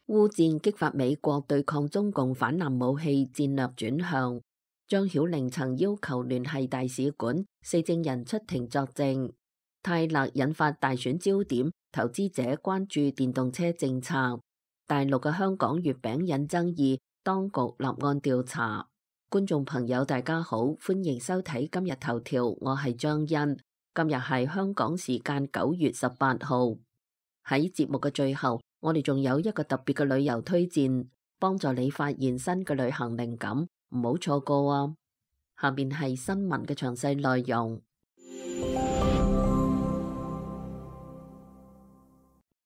烏戰激發美國對抗中共反艦武器戰略轉向。張曉玲曾要求聯繫大使館4證人出庭作證。泰勒引發大選焦點，投資者關注電動車政策。大陸嘅香港月餅引爭議，當局立案調查。觀眾朋友大家好，歡迎收睇今日頭條，我係張欣。今日係香港時間9月18號。喺節目嘅最後，我哋仲有一個特別嘅旅遊推薦，幫助你發現新嘅旅行靈感，唔好錯過啊！下面係新聞嘅詳細內容。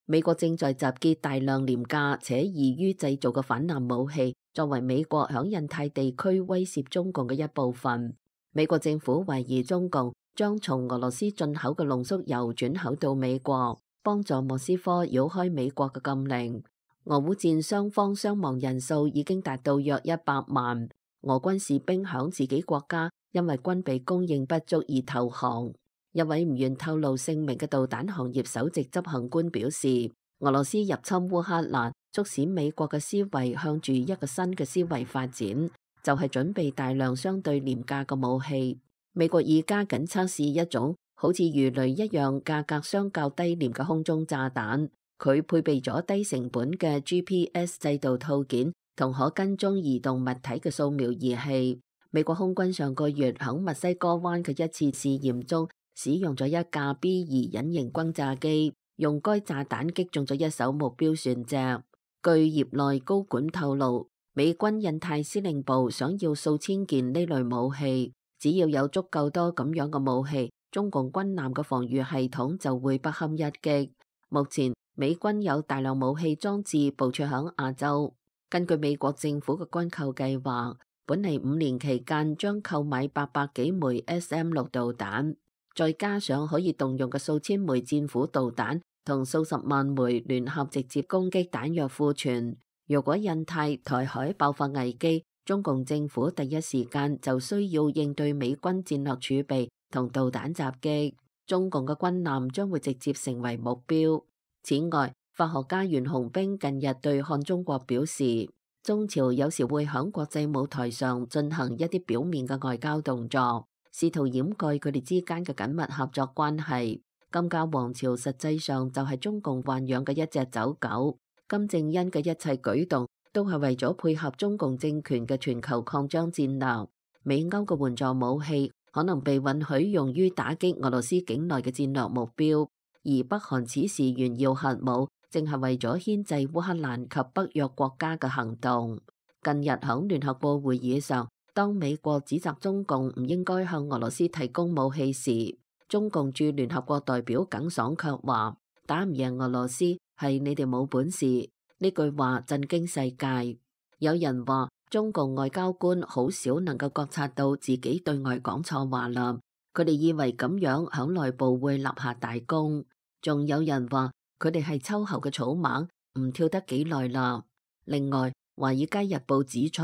美國正在集結大量廉價且易於製造嘅反艦武器，作為美國響印太地區威懾中共嘅一部分。美國政府懷疑中共將從俄羅斯進口嘅濃縮鈾轉口到美國，幫助莫斯科繞開美國嘅禁令。俄烏戰雙方傷亡人數已經達到約100萬。俄軍士兵響自己國家因為軍備供應不足而投降。一位唔願透露姓名嘅導彈行業首席執行官表示，俄羅斯入侵烏克蘭，促使美國嘅思維向住一個新嘅思維發展，就係準備大量相對廉價嘅武器。美國而家緊測試一種好似魚雷一樣價格相較低廉嘅空中炸彈，佢配備咗低成本嘅 GPS 制導套件同可跟蹤移動物體嘅掃描儀器。美國空軍上個月響墨西哥灣嘅一次試驗中，使用咗一架 B-2隱形轟炸機，用該炸彈擊中咗一艘目標船隻。據業內高管透露，美軍印太司令部想要數千件呢類武器，只要有足夠多咁樣嘅武器，中共軍艦嘅防禦系統就會不堪一擊。目前美軍有大量武器裝置部署響亞洲。根據美國政府嘅軍購計劃，本嚟5年期間將購買800幾枚 SM-6導彈。再加上可以動用嘅數千枚戰斧導彈同數十萬枚聯合直接攻擊彈藥庫存，如果印太台海爆發危機，中共政府第一時間就需要應對美軍戰略儲備同導彈襲擊，中共嘅軍艦將會直接成為目標。此外，法學家袁洪兵近日對看中國表示，中朝有時會響國際舞台上進行一啲表面嘅外交動作，試圖掩蓋佢哋之間嘅緊密合作關係。金家王朝實際上就係中共豢養嘅一隻走狗。金正恩嘅一切舉動都係為咗配合中共政權嘅全球擴張戰略。美歐嘅援助武器可能被允許用於打擊俄羅斯境內嘅戰略目標，而北韓此時炫耀核武，正係為咗牽制烏克蘭及北約國家嘅行動。近日響聯合國會議上，當美國指責中共唔應該向俄羅斯提供武器時，中共駐聯合國代表耿爽卻話：打唔贏俄羅斯係你哋冇本事。呢句話震驚世界。有人話中共外交官好少能夠覺察到自己對外講錯話啦，佢哋以為咁樣響內部會立下大功。仲有人話佢哋係秋後嘅草蜢，唔跳得幾耐啦。另外，《華爾街日報》指出，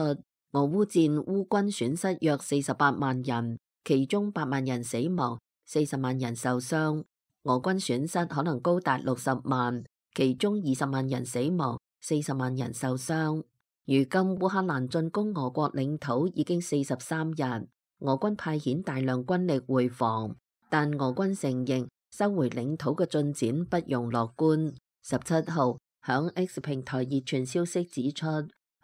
俄烏戰烏軍損失約48萬人，其中8萬人死亡，40萬人受傷。俄軍損失可能高達60萬，其中20萬人死亡，40萬人受傷。如今烏克蘭進攻俄國領土已經43日，俄軍派遣大量軍力回防，但俄軍承認收回領土嘅進展不容樂觀。17號響 X 平台熱傳消息指出，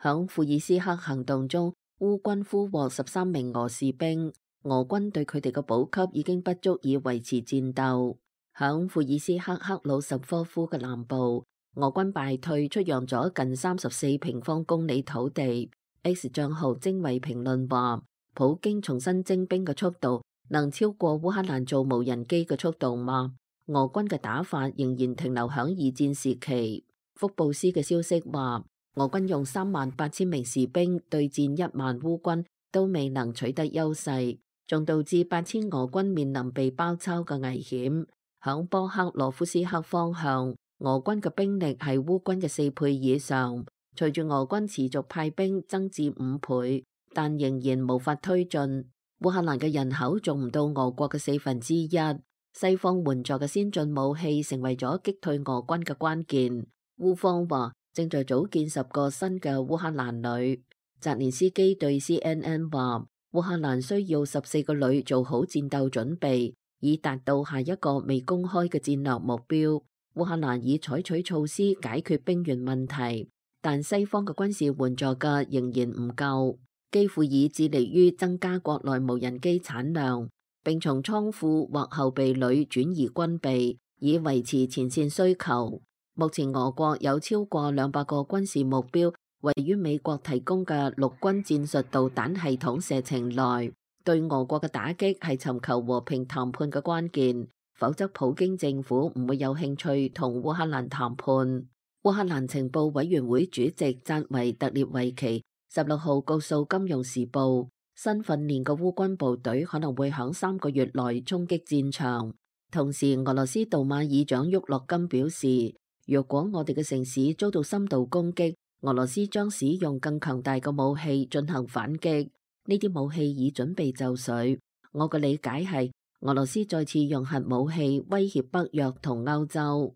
響庫爾斯克行動中，烏軍俘獲13名俄士兵，俄軍對佢哋嘅補給已經不足以維持戰鬥。響庫爾斯克克魯什科夫嘅南部，俄軍敗退，出讓咗近34平方公里土地。X 賬號精衛評論話，普京重新徵兵嘅速度能超過烏克蘭造無人機嘅速度嗎？俄軍嘅打法仍然停留響二戰時期。福布斯嘅消息話，俄軍用38000名士兵對戰1萬烏軍，都未能取得優勢，仲導致8000俄軍面臨被包抄嘅危險。響波克羅夫斯克方向，俄軍嘅兵力係烏軍嘅4倍以上。隨住俄軍持續派兵增至5倍，但仍然無法推進。烏克蘭嘅人口仲唔到俄國嘅1/4，西方援助嘅先進武器成為咗擊退俄軍嘅關鍵。烏方話正在組建10個新嘅烏克蘭旅。澤連斯基對 CNN 話：烏克蘭需要14個旅做好戰鬥準備，以達到下一個未公開嘅戰略目標。烏克蘭已採取措施解決兵員問題，但西方嘅軍事援助嘅仍然唔夠。基輔已致力於增加國內無人機產量，並從倉庫或後備旅轉移軍備，以維持前線需求。目前俄國有超過200個軍事目標位於美國提供嘅陸軍戰術導彈系統射程內。對俄國嘅打擊係尋求和平談判嘅關鍵，否則普京政府唔會有興趣同烏克蘭談判。烏克蘭情報委員會主席扎維特列維奇16號告訴《金融時報》，新訓練嘅烏軍部隊可能會響3個月內衝擊戰場。同時，俄羅斯杜馬議長沃洛金表示，若果我哋嘅城市遭到深度攻擊，俄羅斯將使用更強大嘅武器進行反擊。呢啲武器已準備就緒。我嘅理解係，俄羅斯再次用核武器威脅北約同歐洲。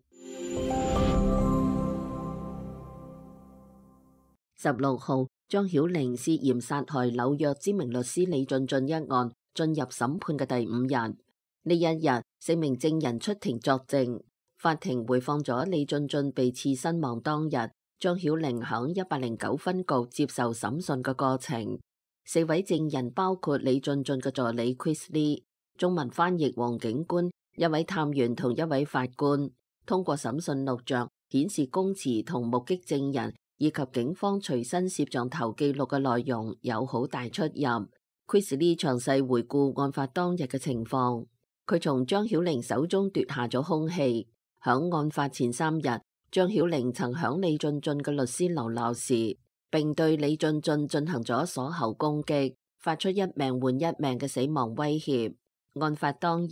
16號，張曉玲涉嫌殺害紐約知名律師李俊俊一案進入審判嘅第5日。呢一日，4名證人出庭作證。法庭回放咗李俊俊被刺身亡當日，張曉玲響109分局接受審訊嘅過程。4位證人包括李俊俊嘅助理 Chris Lee、中文翻譯黃警官、1位探員同1位法官。通過審訊錄像顯示，供詞同目擊證人以及警方隨身攝像頭記錄嘅內容有好大出入。Chris Lee 詳細回顧案發當日嘅情況，佢從張曉玲手中奪下咗兇器。響案發前3日，張曉玲曾響李俊俊嘅律師樓鬧事，並對李俊俊進行咗鎖喉攻擊，發出1命換1命嘅死亡威脅。案發當日，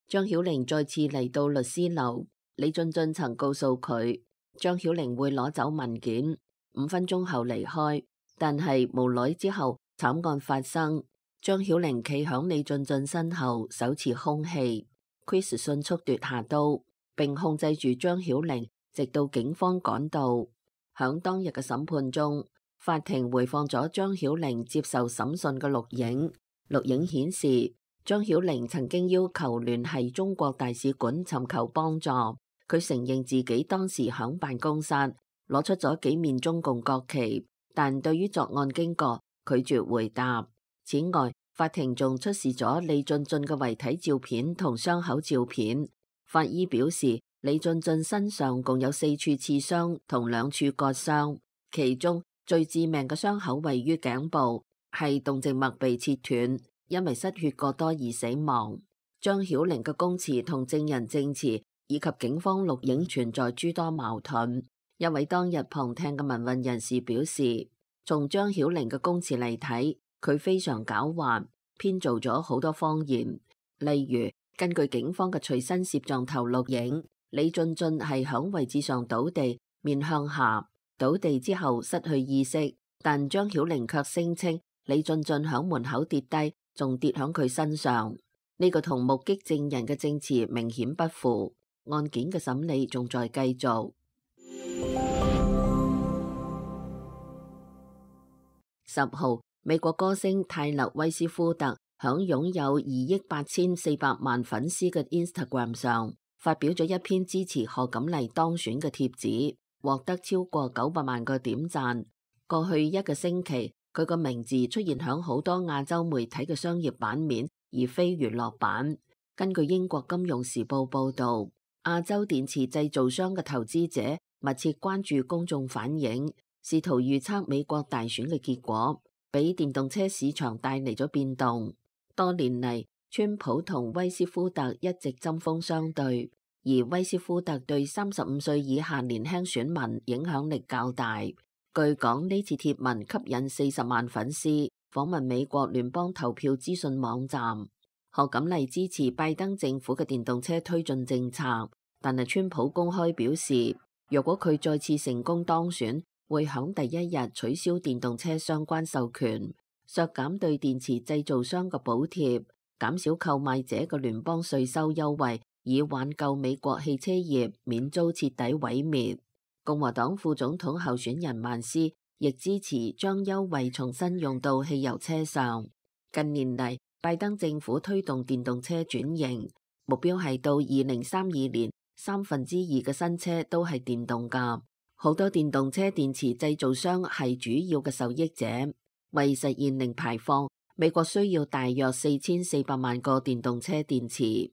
張曉玲再次嚟到律師樓，李俊俊曾告訴佢，張曉玲會攞走文件，5分鐘後離開。但係無耐之後，慘案發生，張曉玲企響李俊俊身後，手持兇器。Chris 迅速奪下刀，並控制住張曉玲，直到警方趕到。響當日嘅審判中，法庭回放咗張曉玲接受審訊嘅錄影。錄影顯示，張曉玲曾經要求聯繫中國大使館尋求幫助。佢承認自己當時響辦公室攞出咗幾面中共國旗，但對於作案經過拒絕回答。此外，法庭仲出示咗李俊俊嘅遺體照片同傷口照片。法醫表示，李俊俊身上共有4處刺傷同2處割傷，其中最致命嘅傷口位於頸部，係動靜脈被切斷，因為失血過多而死亡。張曉玲嘅供詞同證人證詞以及警方錄影存在諸多矛盾。一位當日旁聽嘅民運人士表示，從張曉玲嘅供詞嚟睇，佢非常狡猾，編造咗好多謊言。例如，根據警方嘅隨身攝像頭錄影，李俊俊係響位置上倒地，面向下，倒地之後失去意識，但張曉玲卻聲稱李俊俊響門口跌低，仲跌響佢身上。呢個同目擊證人嘅證詞明顯不符。案件嘅審理仲在繼續。10號，美國歌星泰勒威斯夫特響擁有28400萬粉絲嘅 Instagram 上發表咗一篇支持賀錦麗當選嘅帖子，獲得超過900萬個點讚。過去1個星期，佢個名字出現響好多亞洲媒體嘅商業版面，而非娛樂版。根據英國金融時報報道，亞洲電池製造商嘅投資者密切關注公眾反應，試圖預測美國大選嘅結果，俾電動車市場帶嚟咗變動。多年嚟，川普同威斯夫特一直針鋒相對，而威斯夫特對35歲以下年輕選民影響力較大。據講，呢次貼文吸引40萬粉絲。訪問美國聯邦投票資訊網站，賀錦麗支持拜登政府嘅電動車推進政策，但係川普公開表示，若果佢再次成功當選，會響第一日取消電動車相關授權，削減對電池製造商嘅補貼，減少購買者嘅聯邦稅收優惠，以挽救美國汽車業免遭徹底毀滅。共和黨副總統候選人曼斯亦支持將優惠重新用到汽油車上。近年嚟，拜登政府推動電動車轉型，目標係到2032年2/3嘅新車都係電動㗎。好多電動車電池製造商係主要嘅受益者。為實現零排放，美國需要大約4400萬個電動車電池。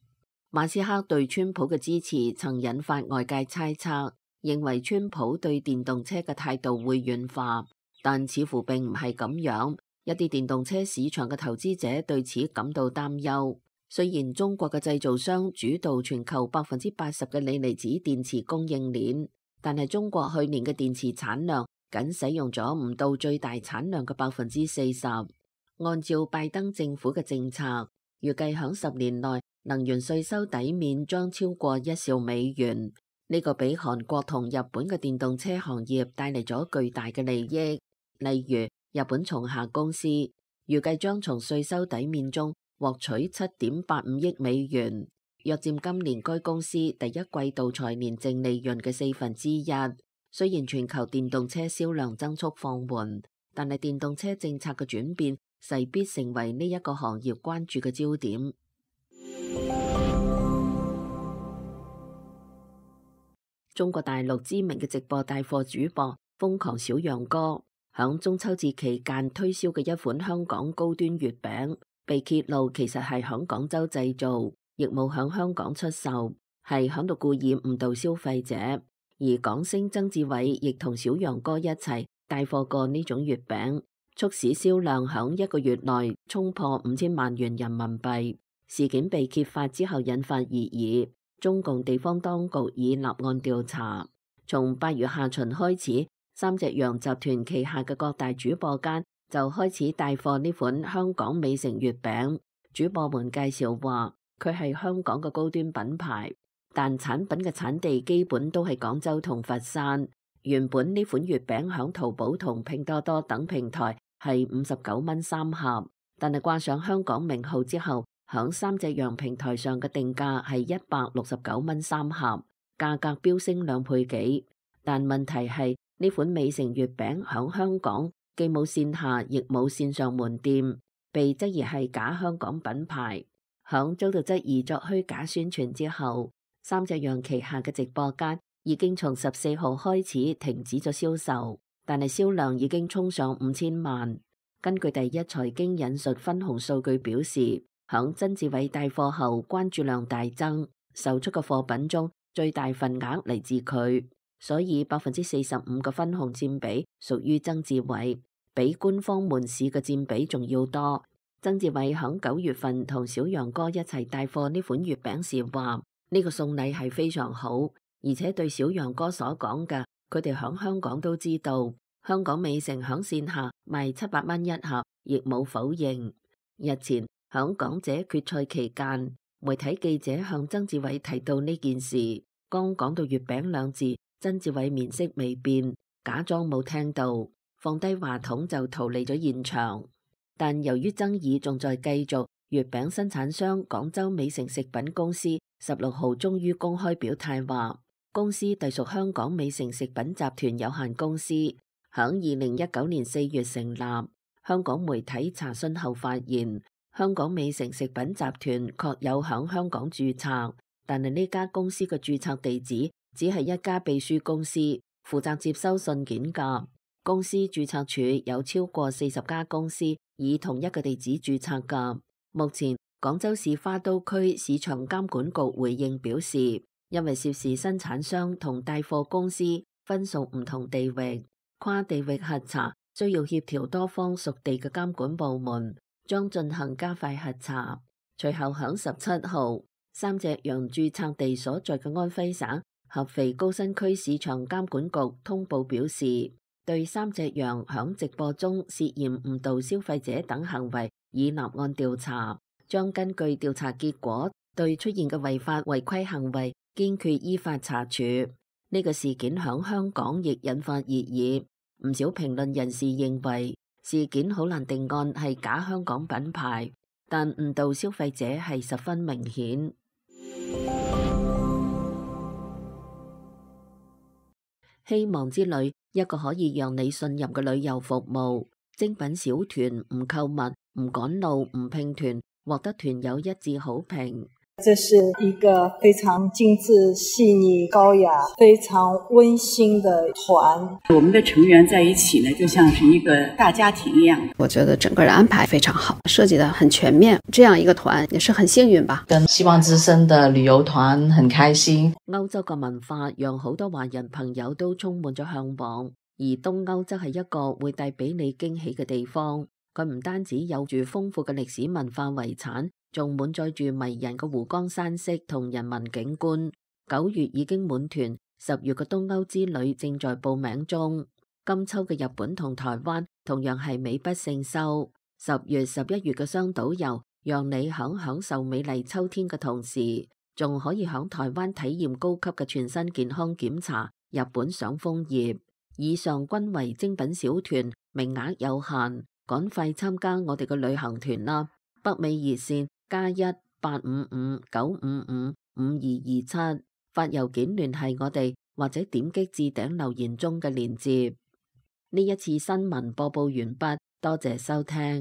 馬斯克對川普嘅支持曾引發外界猜測，認為川普對電動車嘅態度會軟化，但似乎並唔係咁樣。一啲電動車市場嘅投資者對此感到擔憂。雖然中國嘅製造商主導全球80%嘅鋰離子電池供應鏈，但係中國去年嘅電池產量僅使用咗唔到最大產量嘅40%。按照拜登政府嘅政策，預計響10年內能源稅收抵免將超過1兆美元。呢個俾韓國同日本嘅電動車行業帶嚟咗巨大嘅利益。例如，日本松下公司預計將從稅收抵免中獲取7.85億美元，約佔今年該公司第一季度財年淨利潤嘅1/4。雖然全球電動車銷量增速放緩，但係電動車政策嘅轉變勢必成為呢一個行業關注嘅焦點。中國大陸知名嘅直播帶貨主播瘋狂小楊哥響中秋節期間推銷嘅一款香港高端月餅，被揭露其實係響廣州製造，亦冇響香港出售，係響度故意誤導消費者。而港星曾志偉亦同小楊哥一齊帶貨過呢種月餅，促使銷量響1個月內衝破5000萬元人民幣。事件被揭發之後引發熱議。中共地方當局已立案調查。從8月下旬開始，三隻羊集團旗下嘅各大主播間就開始帶貨呢款香港美誠月餅。主播們介紹話，佢係香港嘅高端品牌，但產品嘅產地基本都係廣州同佛山。原本呢款月餅響淘寶同拼多多等平台係59蚊3盒，但係掛上香港名號之後，響三隻羊平台上嘅定價係169蚊3盒，價格飆升2倍幾。但問題係呢款美誠月餅響香港既冇線下亦冇線上門店，被質疑係假香港品牌。響遭到質疑作虛假宣傳之後，三隻羊旗下嘅直播間已經從14號開始停止咗銷售，但係銷量已經衝上5000萬。根據第一財經引述分紅數據表示，響曾志偉帶貨後，關注量大增，售出嘅貨品中最大份額嚟自佢，所以45%嘅分紅佔比屬於曾志偉，比官方門市嘅佔比仲要多。曾志偉響9月份同小楊哥一齊帶貨呢款月餅時話，呢個送禮係非常好，而且對小楊哥所講嘅，佢哋響香港都知道。香港美誠響線下賣700蚊一盒，亦冇否認。日前響港姐決賽期間，媒體記者向曾志偉提到呢件事，剛講到月餅2字，曾志偉面色未變，假裝冇聽到，放低話筒就逃離咗現場。但由於爭議仲在繼續，月餅生產商廣州美誠食品公司16號終於公開表態話，公司隸屬香港美誠食品集團有限公司，響2019年4月成立。香港媒體查詢後發現，香港美誠食品集團確有響香港註冊，但係呢家公司嘅註冊地址只係一家秘書公司，負責接收信件㗎。公司註冊處有超過40家公司以同一個地址註冊㗎。目前廣州市花都區市場監管局回應表示，因為涉事生產商同帶貨公司分屬唔同地域，跨地域核查需要協調多方屬地嘅監管部門，將進行加快核查。隨後響17號，三隻羊註冊地所在嘅安徽省合肥高新區市場監管局通報表示，對三隻羊響直播中涉嫌誤導消費者等行為已立案調查，將根據調查結果對出現嘅違法違規行為堅決依法查處。呢個事件響香港亦引發熱議，唔少評論人士認為事件好難定案係假香港品牌，但誤導消費者係十分明顯。希望之旅，一個可以讓你信任嘅旅遊服務。精品小團唔購物、唔趕路、唔拼團，獲得團友一致好評。這是一個非常精緻、細膩、高雅、非常溫馨的團。我們的成員在一起呢，就像是一個大家庭一樣。我覺得整個的安排非常好，設計得很全面。這樣一個團也是很幸運吧。跟希望之聲的旅遊團很開心。歐洲嘅文化讓好多華人朋友都充滿咗向往，而東歐則係一個會帶俾你驚喜嘅地方。佢唔單止有住豐富嘅歷史文化遺產，仲滿載住迷人嘅湖光山色同人文景觀。9月已經滿團，10月嘅東歐之旅正在報名中。今秋嘅日本同台灣同樣係美不勝收。10月、11月嘅雙島遊，讓你享受美麗秋天嘅同時，仲可以響台灣體驗高級嘅全身健康檢查，日本賞楓葉。以上均為精品小團，名額有限，趕快參加我哋嘅旅行團啦！北美熱線+1-855-955-5227，發郵件聯繫我哋，或者點擊置頂留言中嘅鏈接。呢一次新聞播報完畢，多謝收聽。